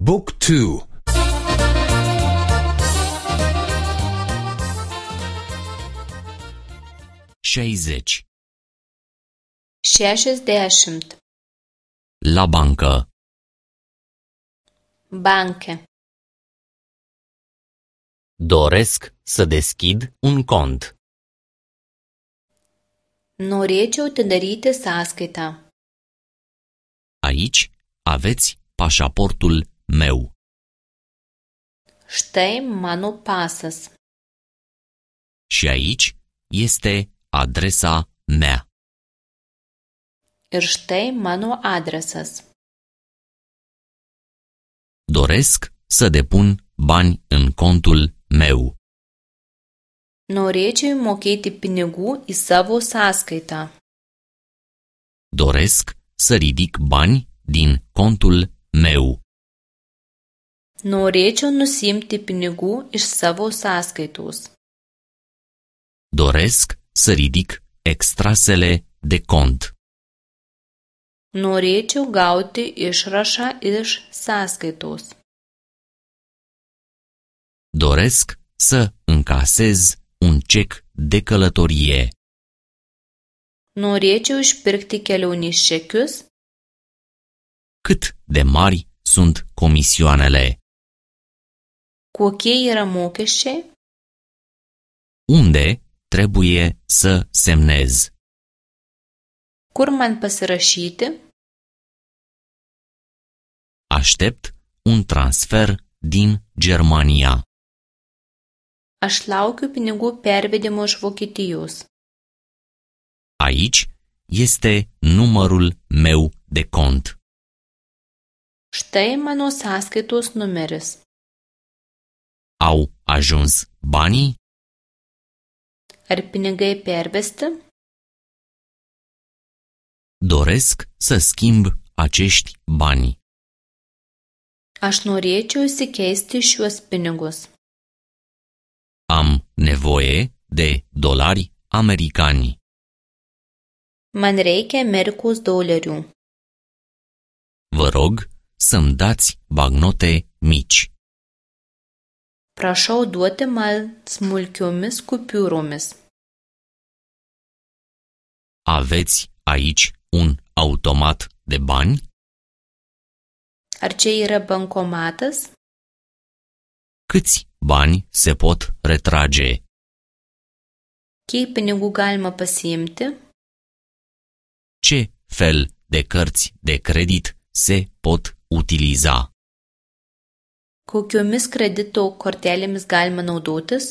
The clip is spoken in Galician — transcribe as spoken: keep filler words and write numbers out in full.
Book two. șaizeci. šešiasdešimt. La bancă. Banke. Doresc să deschid un cont. Norėčiau atidaryti sąskaitą. Aici aveți pașaportul meu. Štai mano pasas. Și aici este adresa mea. Ir štai mano adresas. Doresc să depun bani în contul meu. Norėčiau mokėti pinigų į savo sąskaitą. Doresc să ridic bani din contul meu. Norėčiau nusimti pinigų iš savo sąskaitos. Doresc să ridic extrasele de cont. Norėčiau gauti išrašą iš sąskaitos. Doresc să încasez un cec de călătorie. Norėčiau išpirkti kelionės čekius. Cât de mari sunt comisioanele? Kokie yra mokesčiai? Unde trebuie să semnez? Kur man pasirašyti? Aștept un transfer din Germania. Aš laukiu pinigų pervedimo iš Vokietijos. Aici este numărul meu de cont. Štai mano sąskaitos numeris. Au ajuns banii? Ar pinigai pervesti? Doresc să schimb acești bani. Aš norėčiau įsikeisti šiuos pinigus. Am nevoie de dolari americani. Man reikia Amerikos dolerių. Vă rog să-mi dați bagnote mici. Prašau duoti man smulkiomis kupiūromis. Aveți aici un automat de bani? Ar čia yra bankomatas? Câți bani se pot retrage? Kiek pinigų galima pasiimti? Ce fel de cărți de credit se pot utiliza? Kokiomis kredito kortelėmis galima naudotis?